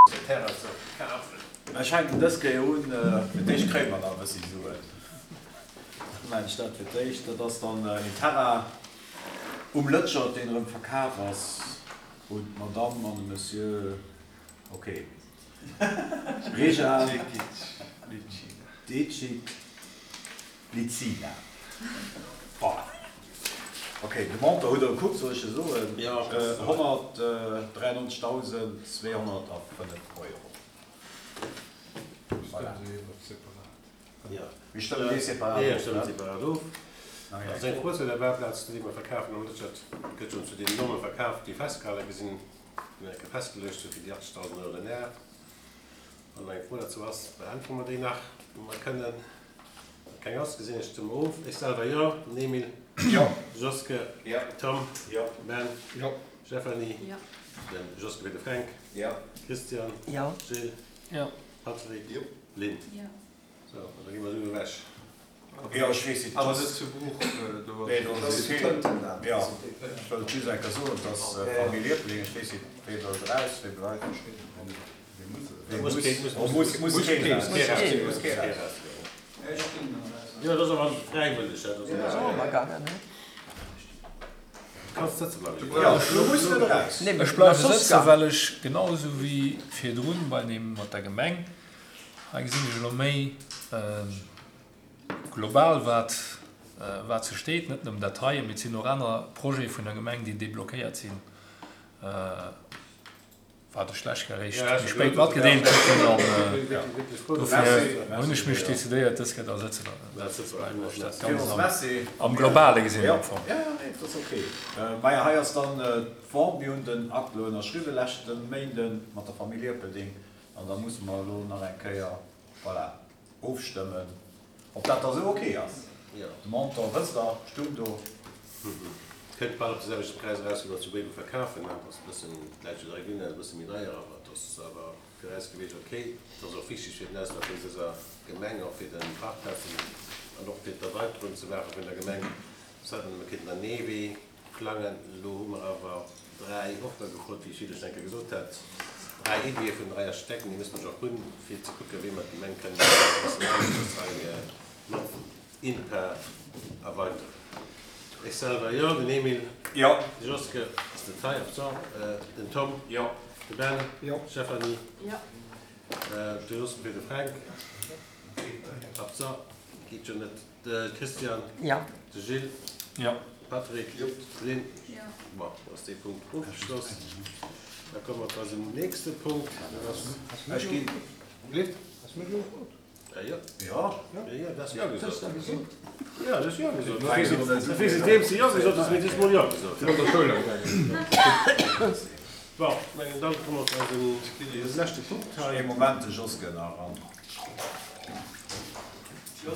Den Terrain ze kafen. Ech fänken dës Kéier un, fir d'éischt kréie mer nach e bëssi Suen. Da maachen ech dat fir d'éischt. Dat ass dann een Terrain um Lëtschert, deen erëm verkaf ass un d'Madame an de Monsieur, ok, Reja Decic. Licina. Voilà. Ok, de Montant hutt Der gekuckt, soll ech e soen? 193.205 Euro. Voilà. Mir stëmmen dee separat of. Mir stëmmen separat of. Also eng Fro zu der Parkplaz, déi mer verkafen am Lëtschert, gëtt schonn zu deenen Norme verkaf, déi festgehale gi sinn, déi eng Kéier festgeluecht sinn fir déi 80.000 Euro den Ar. Wann eng Fro dozou ass, beäntwere mer déi nach, wa mer kënnen. Wann keng ass, gesinn ech d'Stëmm of. Ech selwer jo. Den Emil? Jo. Joske? Jo. Tom? Jo. Ben? Jo. Stephanie? Jo. Den Joske fir de Fränk? Jo. Christian? Jo. Gilles? Jo. Patrick? Jo. Lynn? Jo. Sou, an da gi mer esou ewech. Jo, ech weess net. Awer net zu Bruch, do ass Nee, do ass vill. Jo, ech wëllt just eng Kéier soen, dass d'Famill Liebling, ech weess net, wee wëllt eraus, wee bleift. Wee muss, muss, muss keen eraus. Muss keen eraus. Jo, dat ass awer fräiwëlleg, dat ass och ëmmer gaangen, ne? Kanns sëtze bleiwen. Jo, du muss net eraus. Ech bleiwe sëtzen, well ech genau esou wéi virdrun bei deem mat der Gemeng, hei gesinn ech elo méi global wat wat se steet, net nëmmen dat heien, mee et sinn och aner Projete vun der Gemeng, déi deblockéiert sinn, wat ech lech eréischt méi spéit matgedeelt kritt hunn an dofir hunn ech mech decidéiert, dës Kéier da sëtze ze bleiwen, well ech dat Ganzt am Globale gesinn hunn am Fong. Jo, jo, nee, dat ass ok. Maja, hei ass dann d'Vente. Mir hunn den Akt elo ënnerschriwwen leschte Méinden mat der Famill Ierpelding an da musse mer elo nach eng Kéier, voilà, Ofstëmmen, ob dat da sou ok ass. De Montant wësst Der, stung do. Kënnt bal op de selwechte Präis eraus, wéi mer zu Béiwe verkafen. Dat ass e bëssen, d'Läit jo direkt un, dat ass e bësse méi deier, awer et ass awer fir eis gewiescht ok. Et ass och wichteg fir den Ausbau vun dëser Gemeng, och fir de Parkplazen an och fir d'Erweiterung ze maache vun der Gemeng. Soss hätt mer nëmme kéinten an ee Wee Plangen. Elo hu mer awer 3 Offere gefrot, wéi ech virdru schonn eng Kéier gesot hat. 3 Iddië vun 3 Architekten, déi musse mer och hunn, fir ze kucken, wéi mer d'Gemeng kënnen e bëssen aneschters hei mat INPA erweideren. Ech selwer, jo. Den Emile? Jo. De Joske ass net hei, absent. Den Tom? Jo. De Ben? Jo. D'Stéphanie? Jo. De Joske fir de Fränk? Absent. Geet jo net. De Christian. Jo. De Gilles. Jo. Patrick. Jo. D'Lynn. Jo. Bon, da ass dee Punkt ofgeschloss. Da komme mer zu eisem nächste Punkt. Dat ass. Ech ginn. Lift? Has du mech elo gefrot? Ja, jo. Jo. Ja, jo, du has Jo gesot. Hues du gesot? Jo, du has Jo gesot. Du weess et deems de Jo gesot hues, mee du hues mol Jo gesot. An der Schoul am gaangen. Bon, mengen da komme mer zu eisem leschte Punkt hei. Ee Moment, de Jos gëtt nach eran. Jo,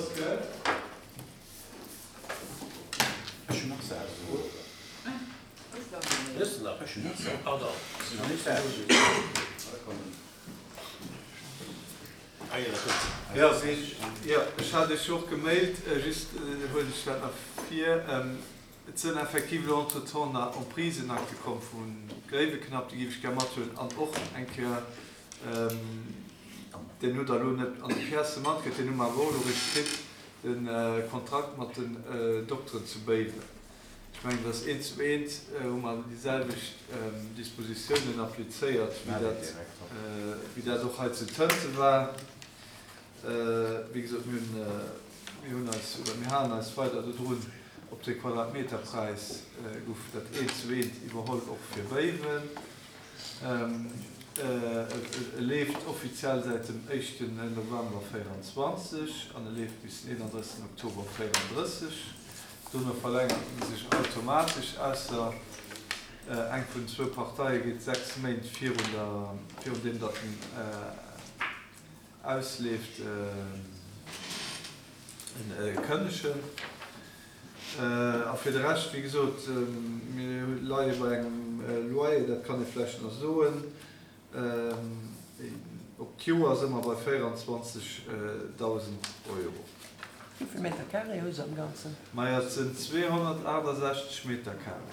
ech hat Iech jo och gemailt, just huelen ech dat nach vir. Et sënn effektiv elo entretemps nach Emprisenakte komm vu Gréiweknapp, déi géif ech gär mathuelen an och eng Kéier Deen hutt Der elo net an de Piècë matkritt, deen hu mer awer och elo eréischt kritt, de Kontrakt mat den Dokteren zu Béiwen. Ech mengen, dass eent zu eent hu mer déi selwecht Dispositiounen applizéiert, wéi dat, wéi dat och hei zu Tënte war. Wéi gesot, mir hunn, mir hunn eis oder mir halen eis weider dodrun, op de Quadratmeterpräis gouf dat eent zu eent iwwerholl, och fir Béiwen. E leeft offiziell säit dem éischten November 24 an e leeft bis den 31 Oktober 34. Dono verlängert en sech automatesch, ausser eng vun zwou Parteie geet 6 Méint virun der, virun deem datt en ausleeft, kënnegen. A fir de Rescht, wéi gesot, mir leie bei engem Loyer, dat kann ee vläicht nach soen, op d'Joer si mer bei 24.000 Euro. Wéi vill Meter carré hu se am Ganzen? Majo, et sinn 268 Meter carré.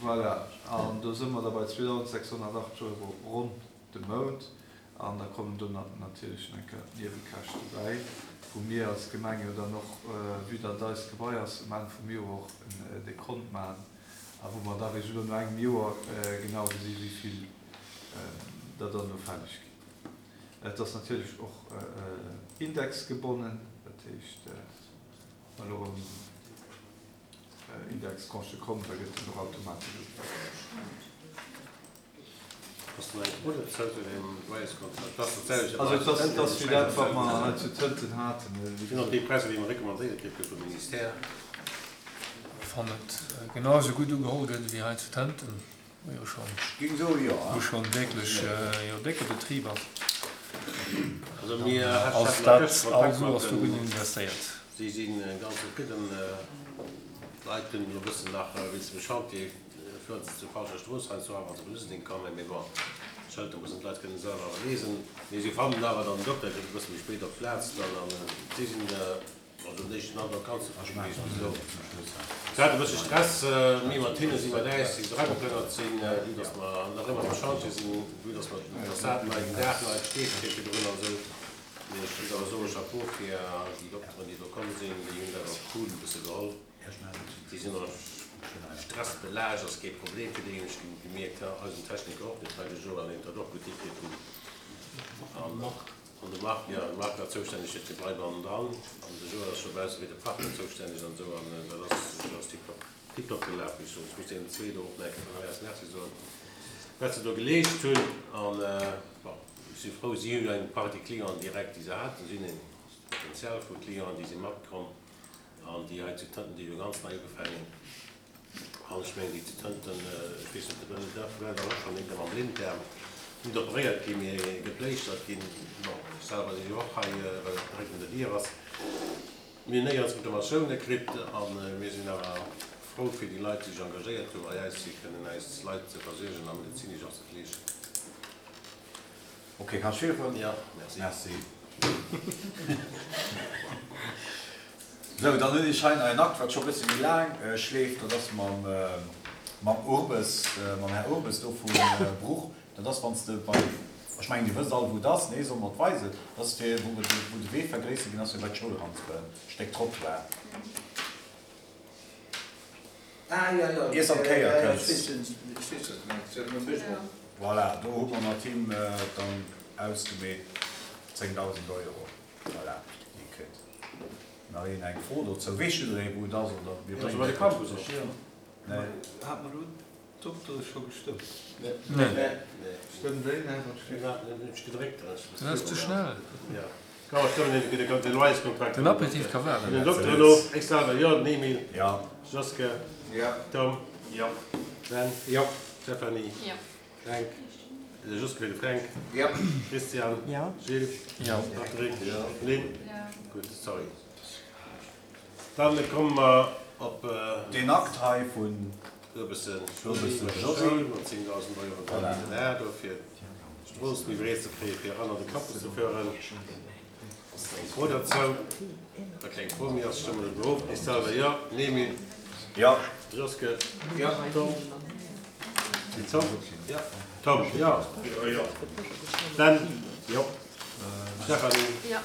Voilà, an do si mer da bei 2.680 Euro ronn de Mount. An da kommen do natierlech nach eng Kéier d'Niewekäschte bäi, wou mir als Gemeng jo dann och, vue datt et eist Gebai ass, um Enn vum Joer och en Dekont maachen a wou mer da eréischt elo no engem Joer genau gesi wéi vill der dann elo fälleg ginn. Et ass natierlech och indexgebonnen, dat heescht, wa elo erëm Indextranchë kommen, da gëtt en och automatesch ugepasst. Also et ass, et ass wéi dat, wat mer hei zu Tënten haten. Wann et genau esou gutt ugeholl gëtt ewéi hei zu Tënten, wou jo schonn, wou schonn wierklech jo décke Betrib ass, ass dat all Sue ass do gutt investéiert. Fueren se zur falscher Strooss heiansdo awer, wann se vun Useldeng kommen, mee bon, d'Schëlter mussen d'Leit kënnen selwer awer liesen. Mee si fannen awer dann den Dokter kënnt e bësse méi spéit op d'Plaz dann an si sinn also den éischten Androck ganz zefridde gewiescht bis elo. Se hate e bësse Stress, mir mat hinne, si mat äis, déi se erageplënnert sinn, vue dass mer nach ëmmer am Chantier sinn, vue dass mer d'Fassad nei, den Daach nei, d'Steeë kritt virdrun an esou. Mee ech muss awer soen, Chapeau fir déi Dokteren, déi do komm sinn, déi hunn dat och cool e bësse geholl. Déi sinn och stressbelaascht, ass kee Problem fir déi, hunn ech gemierkt. Eisen Techniker och, dee Freide Joël, deen huet dat och gutt hikritt. An de Marc, jo, de Marc war zoustänneg fir d'Gebai bannendran an de Joël ass scho bausse fir de Parking zoustänneg an esou. An dat ass, dat ass tiptop, tiptop gelaf, wéi ech soen. Ech muss deenen zwee do och nach eng Kéier vun hei aus Merci soen, wat se do geleescht hunn. An bon, ech si frou, si hunn eng Partie Clienten direkt, déi se haten. Si hunn en Potenzial vu Clienten, déi si matkomm. An déi hei zu Tënten, déi hu ganz nei ugefaangen. An ech mengen, déi zu Tënten, ech weess net, de Daf war der och schonn eenker mam Blinddaarm net operéiert ginn, mee gepléischtert ginn. Bon, ech selwer si jo och hei, well et direkt un der Dier ass. Mir hunn néierens Reklamatioune kritt a mir sinn awer frou fir déi Leit, déi sech engagéiert hu bei eis, fir kënnen eis Leit ze versuergen a medezinesch och ze fleegen. Ok, kanns virfueren? Jo, merci. Merci. Sou, dann hunn ech hei nach en Akt, wat scho e bësse méi laang schleeft. Dat ass mam, mam Urbes, mam Här Urbes do vu Bruch. Dat ass, wann s de bei, ech mengen, Dir wësst all, wou et ass, nee, solle mer et weisen? Dat ass fir, wou wou de Wee vergréissert ginn ass, fir bei d'Schoul eranzekommen, Stéck Trottoir. Iers an d'Kéier kënns. Voilà, do hu mer mat him dann ausgemeet 10.000 Euro. Voilà, déi kritt. Nach een eng Fro dozou? Weess jidderee wou et ass oder mir bréngen et kuerz? Nee. Hat mer elo D'Doktere scho gestëmmt? Nee. Stëmmt déi? Nee, wat steet? Dat ass ze schnell. Den Aperitif ka waarden. Dann komme mer op. Deen Akt hei vun. Urbessen Josy mat 10.000 Euro Preliminär do fir d'Strooss méi breet ze kréien, fir eran an de Campus ze fueren. Eng Fro derzou? Wa keng Fro méi ass, stëmme mer driwwer of. Ech selwer jo. Nemy? Jo. Joske? Jo. Tom? Tom? Jo. Tom? Jo. Jo. Ben? Jo. Stéphanie? Jo.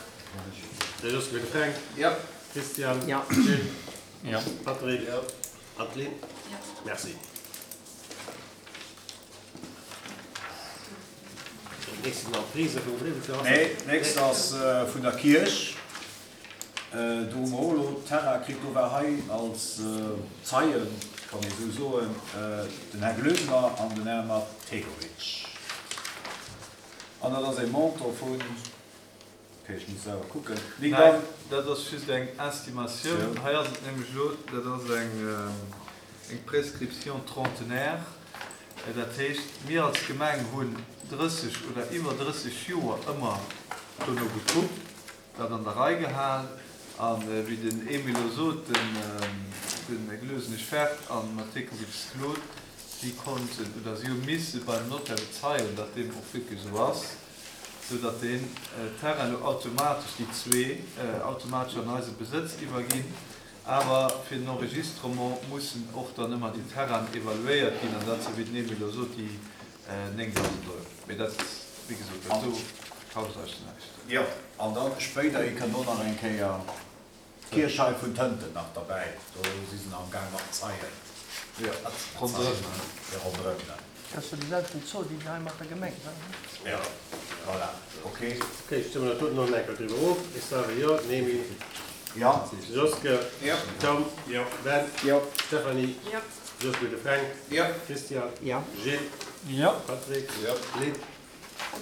De Joske fir de Fränk? Jo. Christian? Jo. Gilles? Jo. Patrick? Jo. Adeline? Jo. Merci. Dat nächst sinn Emprisë vum Gréiwekirch. Nee, d'nächst ass vun der Kierch. Do hu mer och elo Terrain kritt. Do war hei als Zeien, kann ee sou soen, den Här Glösener an den Här Mategovic. An dat ass e Montant vun. Ok, ech muss selwer kucken. Nik Nein, dat ass just eng Estimatioun. Hei ass et nämlech elo, dat ass eng eng Prescription trentenaire. Dat heescht, mir als Gemeng hunn 30 oder iwwer 30 Joer ëmmer dono gekuckt, dat an der Rei gehal. A wéi den Emile elo sot, den de Glösenesch Ferd an Matekovic Claude, si konnten oder si hu misse beim Notaire bezeien, datt deem och wierklech esou ass. sou datt deen Terrain elo automatesch, déi zwee, automatesch an eise Besëtz iwwerginn. Awer fir den Enregistrement mussen och dann ëmmer déi Terrainen evaluéiert ginn, an dat sinn, wéi den Emile elo sot, déi 9.000 Euro. Mee dat, wéi gesot, dat do kascht eis näischt. Jo, an da spéiderhi kënnt och nach eng Kéier d'Kierch hei vun Tënten nach derbäi. Do si se nach am Gaang mat zeien. Jo, ronderëm. Jo, ronderëm, ne. Dat ass jo déi selwechten Zoll, déi hei mat der Gemeng war, ne? Jo, voilà, ok. Ok, stëmme dat doten och nach eng Kéier driwwer of. Ech soe jo, Nemi. Jo. Joske. Jo. Tom. Jo. Ben. Jo. Stéphanie. Jo. Joske de Fränk. Jo. Christian. Jo. Gilles. Jo. Patrick. Jo. Lynn.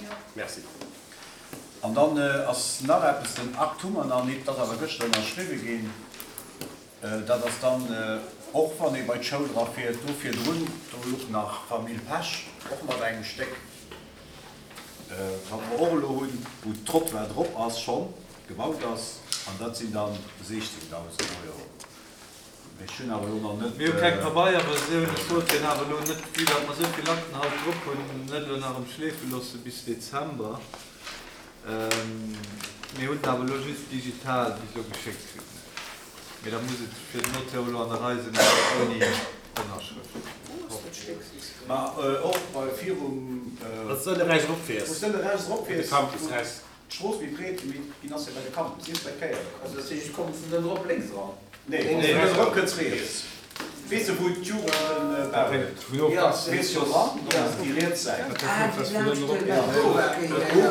Jo. Merci. An dann ass nach eppes, den Akt hu mer nach nit, dat ass awer gëschter ënnerschriwwe ginn. Dat ass dann, och wann ee bei d'Schoul erafiert, do virdrun, do luch nach Famill Pesch, och mat engem Stéck, wat mer och elo hunn, wou d'Trottoir drop ass, schonn gebaut ass, an dat sinn dann 16.000 Euro. Mee ech hunn awer elo nach net. Mir hu keng Pabeierversioun. Ech wollt deen awer elo net, vue datt mer esou vill Akten haut drop hunn, net elo nach emschleefe loosse bis Dezember. Mir hunn en awer elo just digital bis elo geschéckt kritt. Mee da muss et fir den Notaire elo an der Rei sinn, awer ouni Ënnerschrëft. Ma och bei virum. Wann s de ënne rechts eropfiers. Wou s de ënne rechts eropfiers. De Campus rechts. D'Strooss méi breet ginn ass jo bei de Campus, nieft bei d'Kéier. Also dat heescht, kommt vun ënne rop lénks eran? Nee, wann s de ënne rop kënns riets. Weess de wou d'Jugend den Bau huet? Fiers jo eran, dann ass et déi riets Säit. Do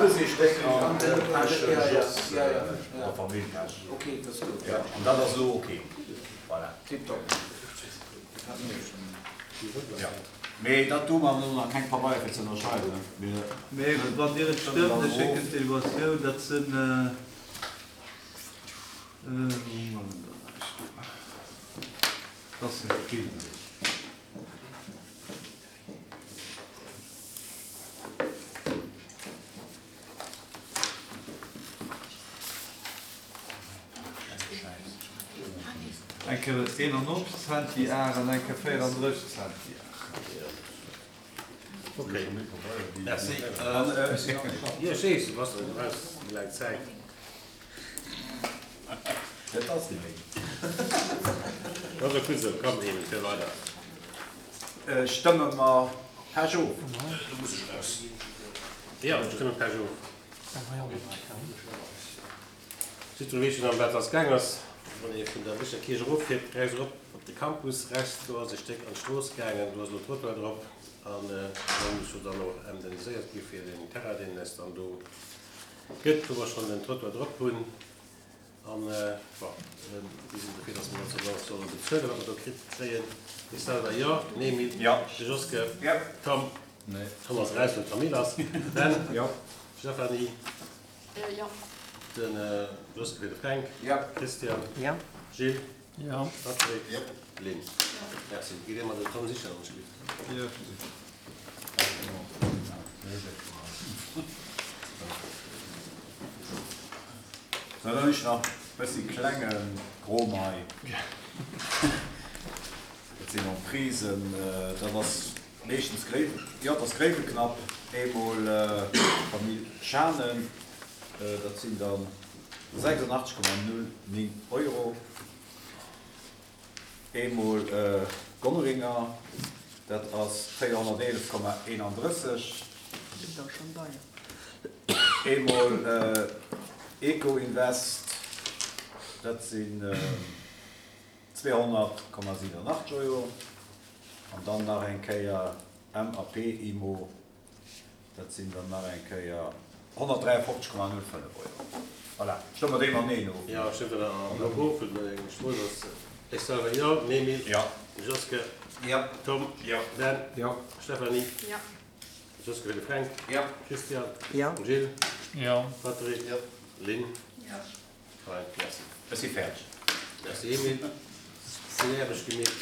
gesi Stéck an de Peche Jos, der Famill Pesch. Jo, an dat ass elo ok. Voilà. Jo, mee dat do maache mer elo nach keng Pabeier fir ze ënnerschreiwen. Mir. Mee wann Dir et stëmmt, ech schécken d'Evaluatioun, dat sinn, wou hu mer en dann ech do, dat ass net vill. Eng Kéier 91 Centi Ar an eng Kéier 34 Centi Ar. Ok, merci. Jo, ech weess, du bass du brauchs déi laang Zäit. Dat ass déi méi. Dat ass och gutt esou. Komm, Emil, fier weider. Stëmme mer Pech of? Do muss ech eraus. Jo, ech stëmme Pech of. Jiddweree weess jo ëm wat ass gaang ass. Wann ee vun der Bicher Kierch eroffiert, rechts erop op de Campus, rechts do ass e Stéck an d'Strooss gaangen, do ass elo Trottoir drop an da muss jo dann och indemniséiert gi fir deen Terrain, deen eis dann do gëtt, wou mer schonn den Trottoir drop hunn. An, bon, mir sinn dofir, dass mer dat solle solle bezuelen, wat mer do kritt kréien. De Salva, jo. Nemi? Jo. De Joske? Jo. Tom? Nee. Tom ass eraus, well d'Famill ass. Ben? Jo. Stéphanie? Jo. De Joske fir de Fränk? Jo. Christian? Jo. Gilles? Jo. Patrick? Jo. Lynn? Jo. Merci. Gitt Dir mat dem Tom sichen an d'Spill. Jo. Sou, dann hunn ech nach bëssi klenge Gromei. Dat sinn Emprisen, dat ass meeschtens Gréiwe, jo, dat ass Gréiweknapp, eemol Famill Schanen, dat sinn dann 86,09 Euro. Eemol Gonneringer, dat ass 411,31. Eemol Ecoinvest, dat sinn 200,87 Euro. An dann nach eng Kéier MAP Immo. Dat sinn dann nach eng Kéier 153,05 Euro. Voilà, stëmme mer déi mateneen of? Jo, stëmmt dat am Bloc of? Well eng Strooss ass. Ech selwer jo. Nemi. Jo. Joske. Jo. Tom. Jo. Dan. Jo. Stéphanie. Jo. Joske fir de Fränk. Jo. Christian. Jo. Gilles. Jo. Patrick. Jo. Lynn. Jo. Fein, merci. Ech si fäerdeg. Merci Emile. Sinn Aarbecht gemeet.